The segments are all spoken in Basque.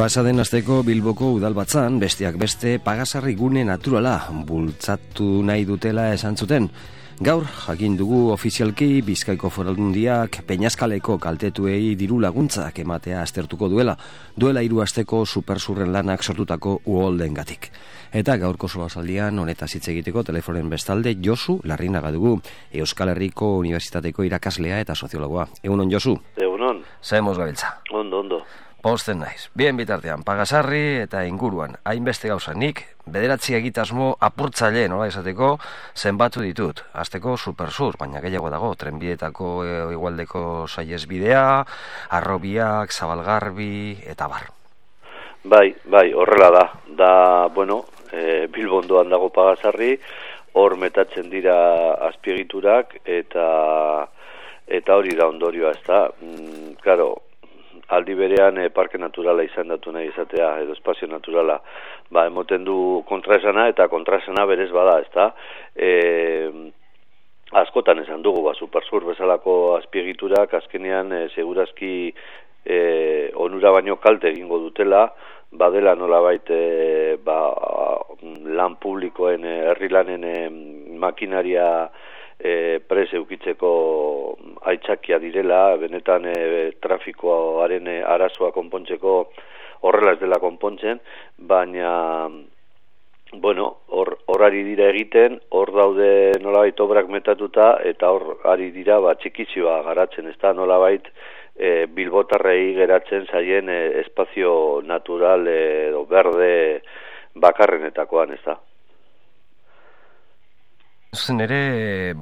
Pasaden asteko Bilboko udalbatzan besteak beste pagasarri gune naturala bultzatu nahi dutela esan zuten. Gaur jakin dugu ofizialki Bizkaiko Foru Aldundiak Peñaskaleko kaltetuei diru laguntzak ematea aztertuko duela 3 asteko supersurren lanak sortutako uholdengatik. Eta gaurko solasaldian honetaz hitz egiteko telefonen bestalde Josu Larrinaga dugu, Euskal Herriko Unibertsitateko irakaslea eta soziologoa. Egunon, Josu? Egunon. Zaemos gabiltza. Ondo. Posten naiz. Bien bitartean, pagasarri eta inguruan, hainbeste gauza nik, 9 egitasmo apurtzaile, nola esateko, zenbatu ditut. Azteko supersur, baina gehiago dago, trenbietako igualdeko saihesbidea, Harrobiak, Zabalgarbi, eta bar. Bai, horrela da. Bueno, Bilbo ondoan dago pagasarri, hor metatzen dira azpiegiturak, eta hori da ondorioa, ezta. Claro, aldi berean parke naturala izendatu nahi izatea, edo espazio naturala, emoten du kontraesana, eta kontraesana berez bada, ezta. Askotan esan dugu, supersur bezalako azpiegiturak, azkenean segurazki onura baino kalte egingo dutela, badela nolabait lan publikoen, herri lanen makinaria prese eukitzeko aitzakia direla, benetan trafikoaren arazoa konpontzeko horrela ez dela konpontzen, baina bueno, hor ari dira egiten, hor daude nolabait obrak metatuta, eta hor ari dira txikizioa garatzen, ez da nolabait bilbotarrei geratzen zaien espazio natural edo berde bakarrenetakoan, ez da. Zen ere,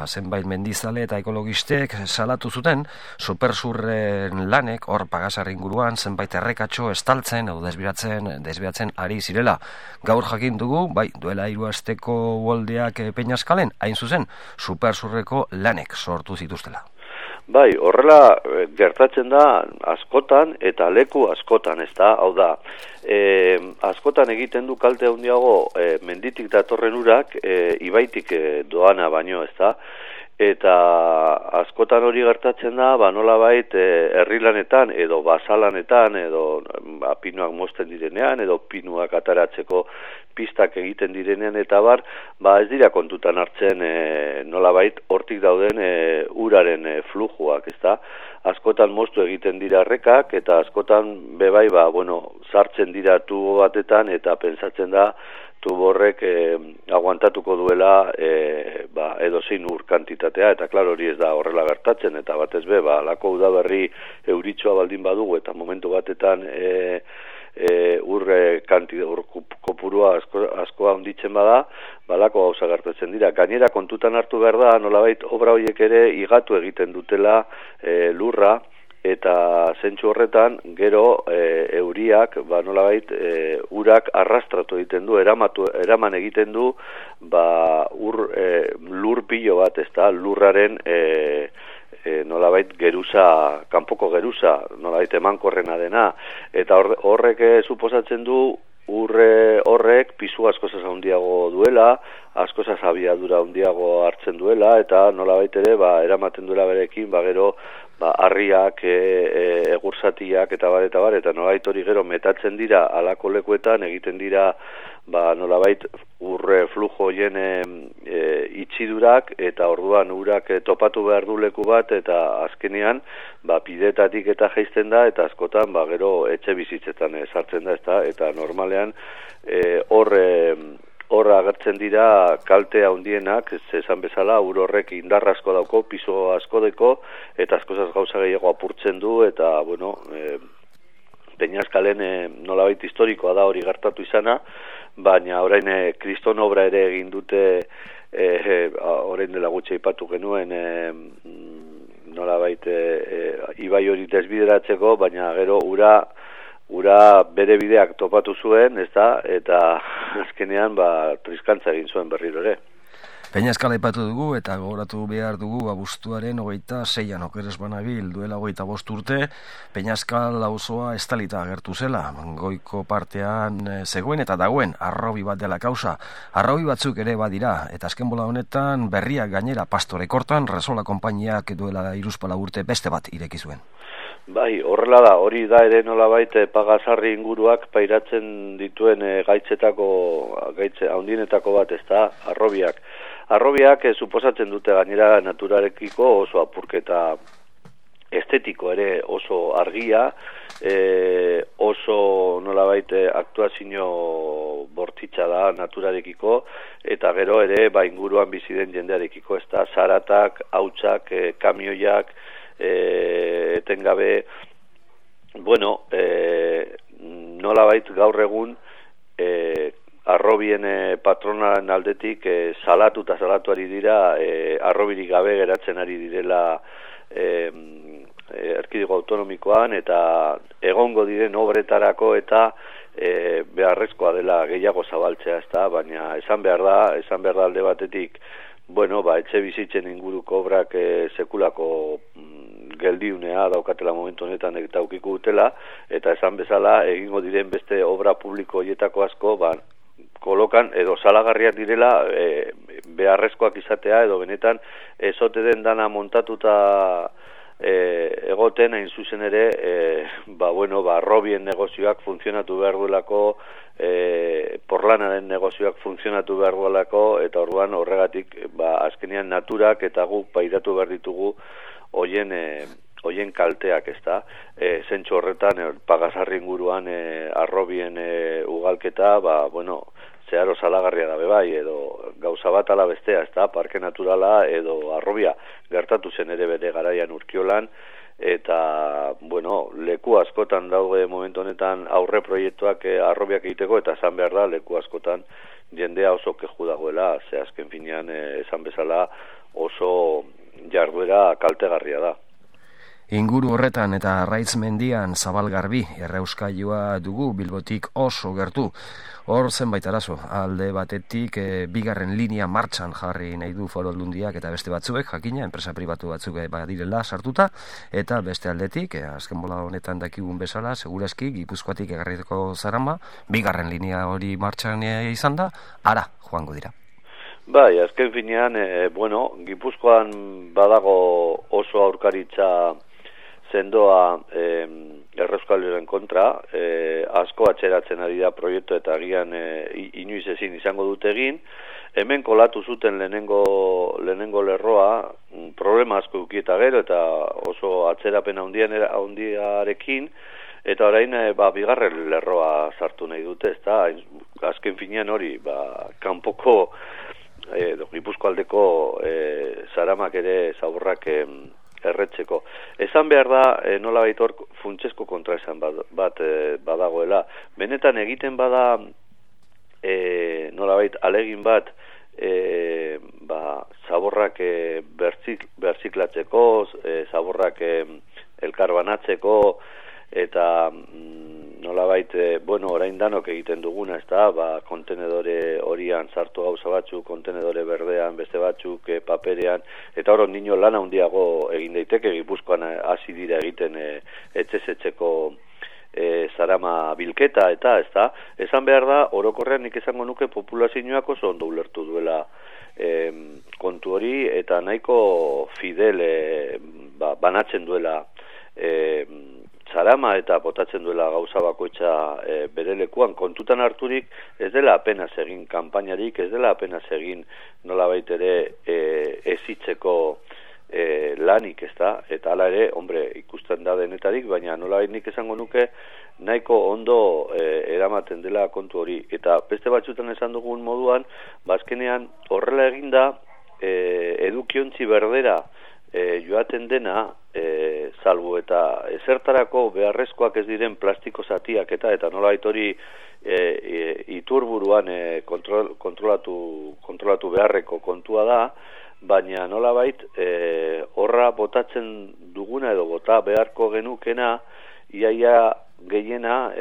zenbait mendizale eta ekologistek salatu zuten, supersurren lanek, hor pagasarri inguruan, zenbait errekatxo estaltzen, edo desbiratzen ari zirela. Gaur jakin dugu, duela 3 asteko uholdeak Peñaskalen, hain zuzen, supersurreko lanek sortu zituztela. Horrela gertatzen da askotan eta leku askotan, ez da, hau da, askotan egiten du kalte handiago menditik datorren urak ibaitik doana baino, ez da, eta askotan hori gertatzen da, nolabait herrilanetan edo basalanetan edo pinuak mozten direnean edo pinuak ataratzeko pistak egiten direnean eta ez dira kontutan hartzen nolabait hortik dauden uraren flujuak, ezta? Askotan moztu egiten dira errekak eta askotan bebai sartzen dira tubo batetan eta pentsatzen da tubo horrek aguantatuko duela edozein ur kantitatea, eta klaro hori ez da horrela gertatzen, eta batez alako udaberri euritxoa baldin badugu eta momentu batetan ur kopurua askoa handitzen bada, balako gauza gertatzen dira. Gainera kontutan hartu behar da, nolabait obra horiek ere igatu egiten dutela lurra, eta zentsu horretan gero euriak nolabait urak arrastratu egiten du, eraman egiten du lur pilo bat, ezta, lurraren nolabait geruza, kanpoko geruza, nolabait emankorrena dena, eta horrek suposatzen du horrek pisu askozaz handiago duela, askozaz abiadura handiago hartzen duela, eta nolabait ere eramaten duela berekin, gero harriak, egursatiak eta nolabait hori gero metatzen dira alako lekuetan, egiten dira nolabait urre flujo hoien itxidurak, eta orduan urak topatu behar du leku bat, eta azkenean pidetatik eta jaisten da, eta askotan gero etxe bizitzetan sartzen da, eta normalean hor agertzen dira kalte handienak, esan bezala, ur horrek indar asko dauko, piso asko deko, eta askozaz gauza gehiago apurtzen du, eta, Peñaskalen nolabait historikoa da hori gertatu izana, baina orain kriston obra ere egin dute, orain dela gutxi aipatu genuen, nolabait ibai hori desbideratzeko, baina gero ura bere bideak topatu zuen, ezta, eta azkenean triskantza egin zuen berriro ere. Peñaskal aipatu dugu eta gogoratu behar dugu abuztuaren 26an okeres banabil duela 25 urte Peñaskal auzoa estalita agertu zela. Goiko partean zegoen eta dagoen harrobi bat dela kausa. Harrobi batzuk ere badira eta azken bola honetan berriak gainera Pastorekortan Resola konpainiak duela 34 urte beste bat ireki zuen. Bai, horrela da, hori da ere nolabait pagasarri inguruak pairatzen dituen gaitze handienetako bat, ezta, harrobiak. Harrobiak suposatzen dute gainera naturarekiko oso apurketa estetiko ere oso argia, oso nolabait aktuazio bortitza da naturarekiko, eta gero ere inguruan bizi den jendearekiko, ezta, zaratak, hautsak, kamioiak, etengabe, bueno, nolabait gaur egun arrobien patronaren aldetik salatu ari dira, arrobirik gabe geratzen ari direla erkidego autonomikoan, eta egongo diren obretarako eta beharrezkoa dela gehiago zabaltzea, ezta, baina esan behar da alde batetik, bueno, etxe bizitzen inguruko obrak sekulako geldiunea daukatela momentu honetan eta aukiko dutela, eta esan bezala egingo diren beste obra publiko horietako asko, kolokan edo salagarriak direla beharrezkoak izatea, edo benetan ezote den dana montatuta egoten, hain zuzen ere, arrobien negozioak funtzionatu behar duelako, porlanaren negozioak funtzionatu behar duelako, eta orduan horregatik azkenean naturak eta guk pairatu behar ditugu hoien kalteak, ezta. Zentsu horretan pagasarri inguruan arrobien ugalketa, zeharo salagarria da bai, edo gauza bat ala bestea, ezta, parke naturala edo arrobia gertatu zen ere bere garaian Urkiolan, eta, leku askotan daude momentu honetan aurre proiektuak arrobiak egiteko, eta esan behar da, leku askotan jendea oso keju dagoela, ze azken finean esan bezala oso jarduera kaltegarria da. Inguru horretan eta Arraitz mendian Zabalgarbi errauskailua dugu Bilbotik oso gertu. Hor zenbait arazo, alde batetik bigarren linea martxan jarri nahi du Foru Aldundiak eta beste batzuek, jakina, enpresa pribatu batzuk badirela sartuta, eta beste aldetik, azken bola honetan dakigun bezala, segurazki Gipuzkoatik egarriteko zarama, bigarren linea hori martxan izan da, ara joango dira. Bai, azken finean, Gipuzkoan badago oso aurkaritza sendoa errauskailuaren kontra, asko atxeratzen ari da proiektu eta agian inoiz ezin izango dute egin. Hemen kolatu zuten lehenengo lerroa, problema asko ukieta gero eta oso atzerapen handiarekin, eta orain bigarren lerroa sartu nahi dute, ezta, azken finean hori, kanpoko Gipuzkoaldeko zaramak ere zaborrak erretzeko. Esan behar da, nolabait hor funtsezko kontraesan bat badagoela. Benetan egiten bada nolabait alegin bat zaborrak berziklatzeko, zaborrak elkarbanatzeko, eta nolabait, orain danok egiten duguna, ezta, kontenedore horian sartu gauza batzuk, kontenedore berdean, beste batzuk, paperean, eta hor ondino lan handiago egin daiteke, Gipuzkoan hasi dira egiten etxezetzeko zarama bilketa, eta, ezta, esan behar da, orokorrean nik esango nuke populazioak oso ondo ulertu duela kontu hori, eta nahiko fidel banatzen duela zarama eta botatzen duela gauza bakoitza bere lekuan, kontutan harturik ez dela apenas egin kanpainarik, ez dela apenas egin nolabait ere ezitzeko lanik, ezta, eta hala ere, ikusten da denetarik, baina nolabait nik esango nuke nahiko ondo eramaten dela kontu hori, eta beste batzutan esan dugun moduan, azkenean horrela eginda edukiontzi berdera joaten dena, salbu eta ezertarako beharrezkoak ez diren plastiko zatiak eta nolabait hori iturburuan kontrolatu beharreko kontua da, baina nolabait horra botatzen duguna edo bota beharko genukena iaia gehiena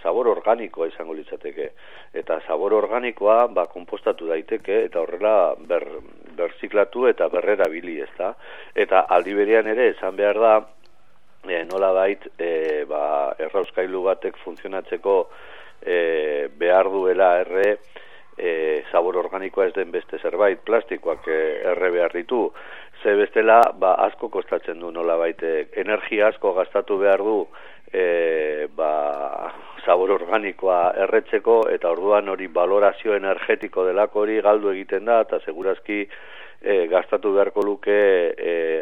sabor organikoa izango litzateke, eta sabor organikoa konpostatu daiteke eta horrela berziklatu eta berrerabili, ezta, eta aldi berean ere esan behar da nolabait errauskailu batek funtzionatzeko behar duela sabor organikoa ez den beste zerbait, plastikoak erre behar ditu. ze bestela, asko kostatzen du nolabait, energia asko gastatu behar du, zabor organikoa erretzeko, eta orduan hori valorazio energetiko delako hori galdu egiten da, eta segurazki gastatu beharko luke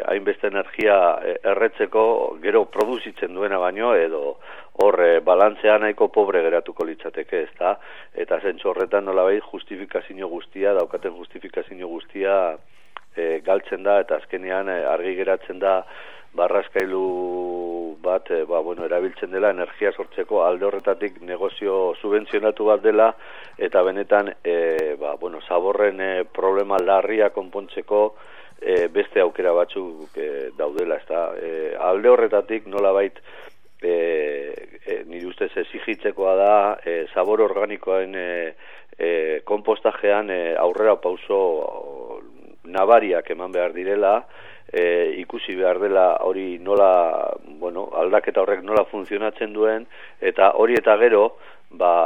hainbeste energia erretzeko gero produzitzen duena baino, edo hor balantzea nahiko pobre geratuko litzateke, ezta? Eta zentzu horretan nolabait justifikazio guztia, daukaten justifikazio guztia galtzen da, eta azkenean argi geratzen da barraskailu bat erabiltzen dela energia sortzeko alde horretatik negozio subentzionatu bat dela, eta benetan zaborren problema larria konpontzeko beste aukera batzuk daudela, ezta? Alde horretatik nolabait nire ustez exigitzekoa da zabor organikoen konpostajean aurrera pauso nabariak eman behar direla, ikusi behar dela hori nola, aldaketa horrek nola funtzionatzen duen, eta hori eta gero,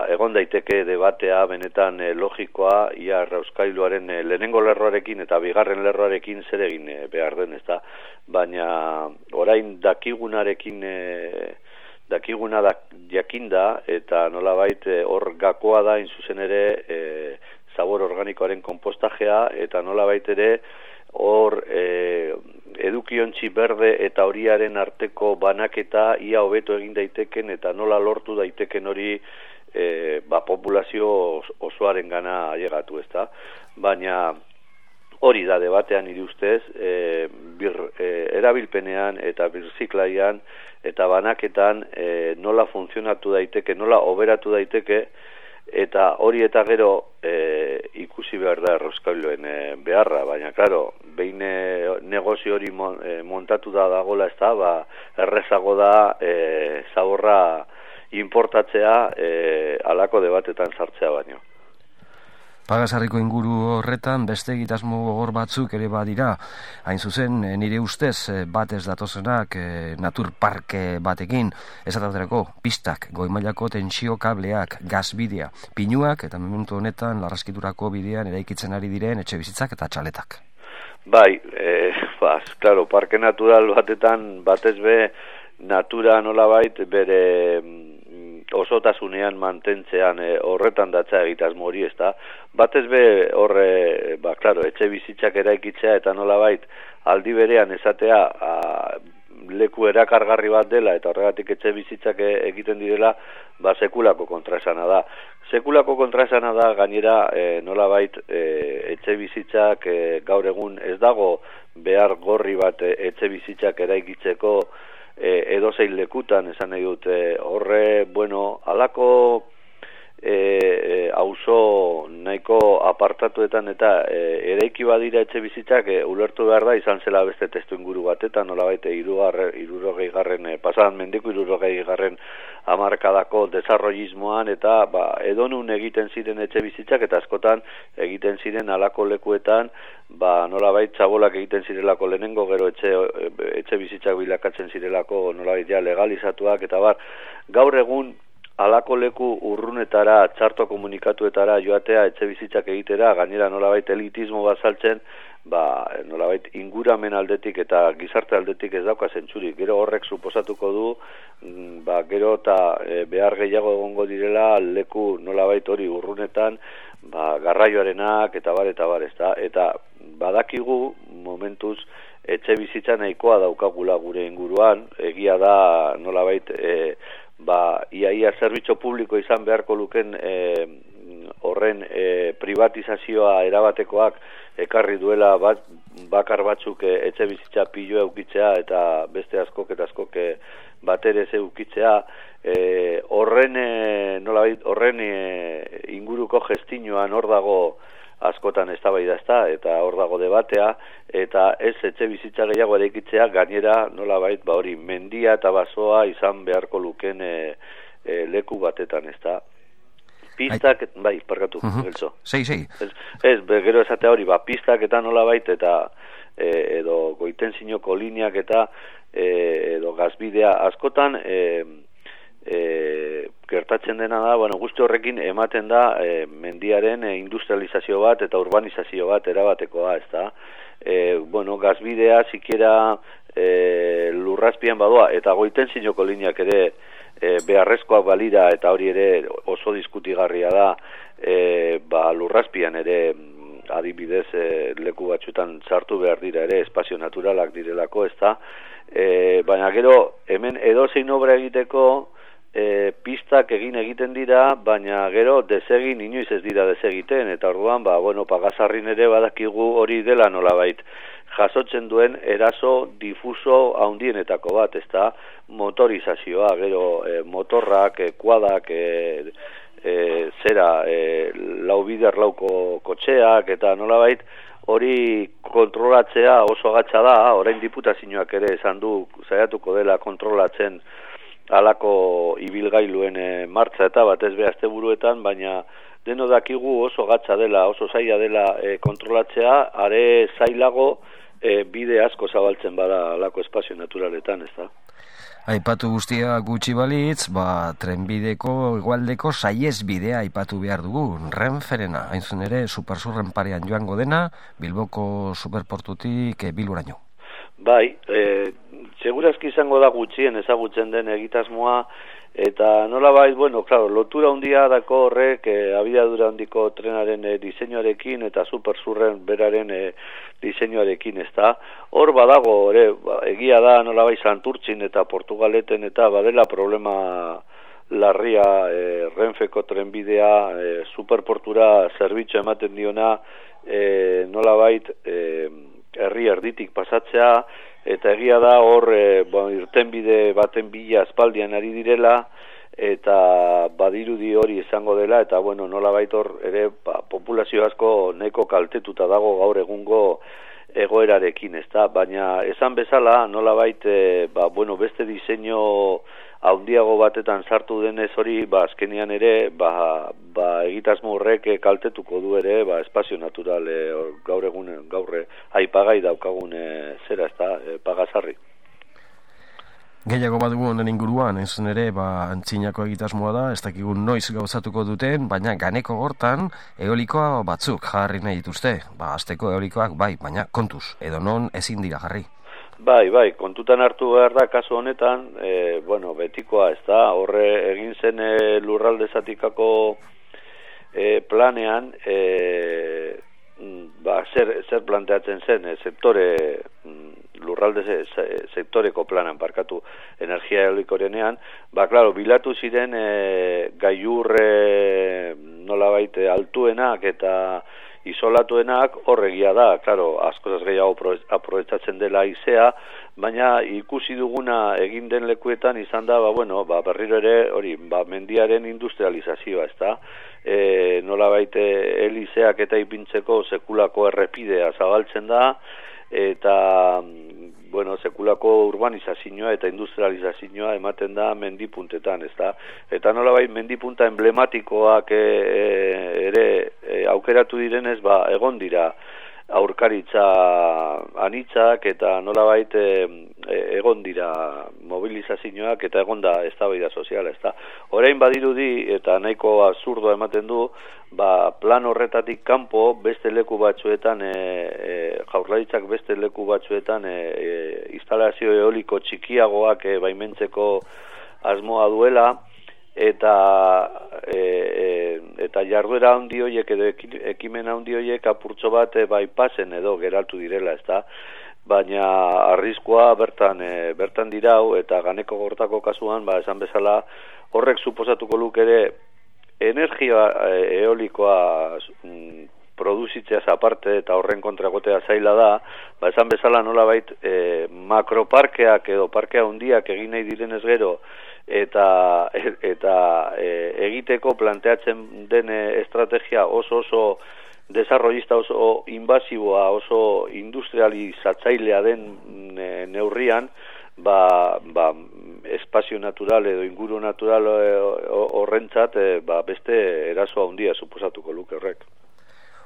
egon daiteke debatea benetan logikoa, ia errauskailuaren lehenengo lerroarekin eta bigarren lerroarekin zer egin behar den, ezta? Baina orain dakiguna jakinda, eta nolabait hor gakoa da inzuzen ere zabor organikoaren konpostajea, eta nolabait ere hor edukiontzi berde eta horiaren arteko banaketa ia hobeto egin daiteken, eta nola lortu daiteken hori populazio osoaren gana ailegatu, ezta? Baina hori da debatean nire ustez, erabilpenean eta birziklaian eta banaketan nola funtzionatu daiteke, nola oberatu daiteke, eta hori eta gero ikusi behar da errauskailuen beharra, baina klaro, behin negozio hori montatu da dagoela, ez da, errezago da zaborra importatzea halako debatetan sartzea baino. Pagasarriko inguru horretan beste egitasmo gogor batzuk ere badira. Hain zuzen, nire ustez batez datozenak naturparke batekin, esataterako pistak, goimailako tentsio kableak, gazbidea, pinuak eta momentu honetan larraskiturako bidean eraikitzen ari diren etxebizitzak eta txaletak. Bai, claro, parke natural batetan batez be natura nolabait bere osotasunean mantentzean horretan datza egitasmo hori, ezta? Batez be horre, etxe bizitzak eraikitzea eta nolabait aldi berean esatea leku erakargarri bat dela eta horregatik etxe bizitzak egiten direla, sekulako kontraesana da. Sekulako kontraesana da gainera nolabait etxe bizitzak gaur egun ez dago behar gorri bat etxe bizitzak eraikitzeko edozein lekutan, esan nahi dut, horre, alako auzo nahiko apartatuetan eta eraiki badira etxe bizitzak ulertu behar da, izan zela beste testu inguru batetan, nolabait pasadan mendeko 60. hamarkadako desarrollismoan, eta edonun egiten ziren etxe bizitzak, eta askotan egiten ziren halako lekuetan, nolabait txabolak egiten zirelako lehenengo, gero etxe bizitzak bilakatzen zirelako nolabait ja legalizatuak, eta gaur egun halako leku urrunetara, txarto komunikatuetara joatea etxe bizitzak egitera, gainera nolabait elitismo bat saltzen, nolabait inguramen aldetik eta gizarte aldetik ez dauka zentzurik. Gero horrek suposatuko du, gero eta behar gehiago egongo direla leku nolabait hori urrunetan, garraioarenak eta ezta. Eta badakigu momentuz etxe bizitza nahikoa daukagula gure inguruan, egia da nolabait iaia zerbitzu publiko izan beharko luken horren privatizazioa erabatekoak ekarri duela bakar batzuk etxe bizitza piloa eukitzea eta beste askok batere ze eukitzea, horren inguruko gestinoan hor dago askotan eztabaida, eta hor dago debatea, eta ez etxe bizitza gehiago eraikitzea, gainera nolabait hori mendia eta basoa izan beharko luken leku batetan, ezta. Pistak, parkatu, geltzo. Sei. Ez, gero esatea hori, pistak eta nolabait, eta edo goiten zinoko lineak eta edo gazbidea askotan gertatzen dena da, guzti horrekin ematen da mendiaren industrializazio bat eta urbanizazio bat erabatekoa, ezta? bueno, gazbidea sikiera lurrazpian badoa, eta goiten zinoko lineak ere beharrezkoak balira, eta hori ere oso diskutigarria da, lurrazpian ere adibidez leku batzuetan sartu behar dira ere, espazio naturalak direlako, ez da, baina gero hemen edozein obra egiteko pistak egiten dira, baina gero desegin inoiz ez dira desegiten, eta orduan, Pagasarrin ere badakigu hori dela nolabait jasotzen duen eraso difuso handienetako bat, ez da, motorizazioa, gero motorrak, kuadak, laubider lauko kotxeak, eta nolabait hori kontrolatzea oso gatsa da, orain diputazioak ere esan du saiatuko dela kontrolatzen halako ibilgailuen martxa eta batez be asteburuetan, baina deno dakigu oso gatsa dela, oso zaila dela kontrolatzea, are zailago bide asko zabaltzen bada halako espazio naturaletan, ez da. Aipatu guztia gutxi balitz, trenbideko hegoaldeko saihesbidea aipatu behar dugu, Renferena, hain zuen ere Supersurren parean joango dena, Bilboko superportutik Bilboraino. Bai, segurazki izango da gutxien ezagutzen den egitasmoa, eta nolabait, lotura handia dako horrek abiadura handiko trenaren diseinuarekin eta Supersurren beraren diseinuarekin, ez da. Hor badago, egia da nolabait Santurtzin eta Portugaleten eta badela problema larria Renfeko trenbidea superportura zerbitzu ematen diona nolabait herri erditik pasatzea, eta egia da hor irtenbide baten bila aspaldian ari direla, eta badirudi hori izango dela, eta nolabait hor ere populazio asko nahiko kaltetuta dago gaur egungo egoerarekin, ezta, baina esan bezala nolabait beste diseinu handiago batetan sartu denez hori, azkenean ere egitasmo horrek kaltetuko du ere espazio natural gaur aipagai daukagun zera, ezta, Pagasarri. Gehiago badugu honen inguruan, ez ere, antzinako egitasmoa da, ez dakigun noiz gauzatuko duten, baina ganeko gortan eolikoa batzuk jarri nahi dituzte. Azteko eolikoak baina kontuz, edo non ezin dira jarri. Bai, kontutan hartu behar da, kasu honetan, betikoa, ez da, horre egin zen lurralde zatikako planean, zer planteatzen zen, lurralde sektoreko planan parkatu energia eolikorenean, bilatu ziren gailur nolabait altuenak eta isolatuenak horregia da, askozaz gehiago aprobetxatzen dela haizea, baina ikusi duguna egin den lekuetan izan da, berriro ere hori, mendiaren industrializazioa, ez da, nolabait helizeak eta ipintzeko sekulako errepidea zabaltzen da, eta sekulako urbanizazioa eta industrializazioa ematen da mendipuntetan, ezta? Eta nolabait mendipunta emblematikoak ere aukeratu direnez, egon dira aurkaritza anitzak eta nolabait egon dira mobilizazioak eta egon da eztabaida soziala, ezta? Orain badirudi eta nahiko absurdoa ematen du, plan horretatik kanpo beste leku batzuetan Jaurlaritzak beste leku batzuetan instalazio eoliko txikiagoak baimentzeko asmoa duela, eta jarduera handi horiek edo ekimen handi horiek apurtxo bat bypassen edo geratu direla, ezta? Baina arriskua bertan dirau, eta ganeko gortako kasuan, esan bezala, horrek suposatuko luke ere energia eolikoa produzitzeaz aparte eta horren kontrakotea zaila da, esan bezala nolabait makroparkeak edo parkea handiak egin nahi direnez gero, eta egiteko planteatzen den estrategia oso desarrollista, oso invasiboa, oso industrializatzailea den neurrian, espazio natural edo inguru natural horrentzat beste eraso handia suposatuko luke horrek.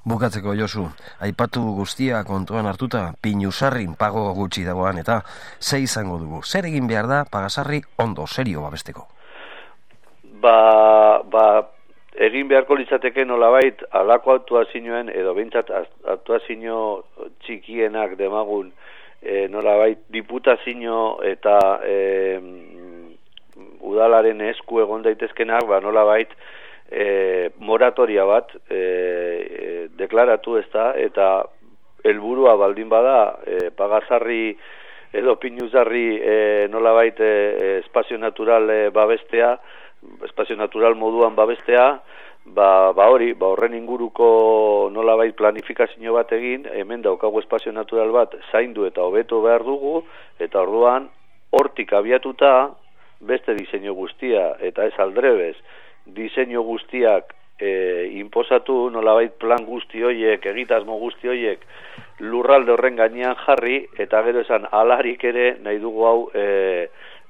Bukatzeko, Josu, aipatu guztia kontuan hartuta, Pinusarrin pago gutxi dagoan, eta ze izango dugu? Zer egin behar da Pagasarri ondo, serio babesteko? egin beharko litzateke nolabait alako aktuazioen edo behintzat aktuazio txikienak demagun nolabait diputazio eta udalaren esku egon daitezkenak, nolabait moratoria bat deklaratu ezta, eta helburua baldin bada pagasarri edo pinuzarri nolabait espazio natural babestea, espazio natural moduan babestea, horren inguruko nolabait planifikazio bat egin, hemen daukagu espazio natural bat zaindu eta hobetu behar dugu, eta orduan hortik abiatuta beste diseinu guztia, eta ez aldrebez, diseinu guztiak inposatu, nolabait plan guzti hoiek, egitasmo guzti hoiek lurralde horren gainean jarri, eta gero esan alarik ere nahi dugu hau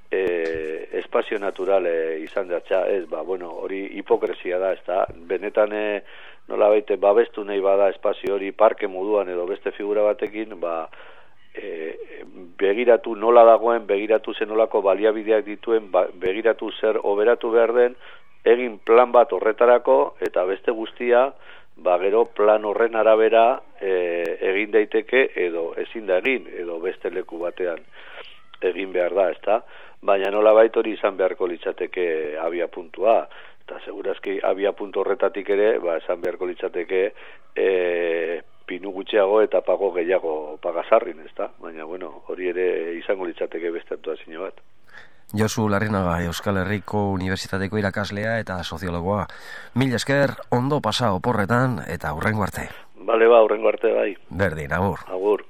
espazio natural izan datza, ez, hori hipokresia da, ez da, benetan nolabait babestu nahi bada espazio hori parke moduan edo beste figura batekin, begiratu nola dagoen, begiratu zenolako baliabideak dituen, begiratu zer oberatu behar den, egin plan bat horretarako, eta beste guztia, gero plan horren arabera egin daiteke, edo ezin da egin, edo beste leku batean egin behar da, ezta? Baina nolabait hori izan beharko litzateke abia puntua, eta segurazki abia puntu horretatik ere, esan beharko litzateke pinu gutxiago eta pago gehiago pagasarrin, ezta? Baina, hori ere izango litzateke beste aktuazio bat. Josu Larrinaga, Euskal Herriko Unibertsitateko irakaslea eta soziologoa. Mila esker, ondo pasa oporretan eta hurrengo arte. Bale, hurrengo arte bai. Berdin, agur. Agur.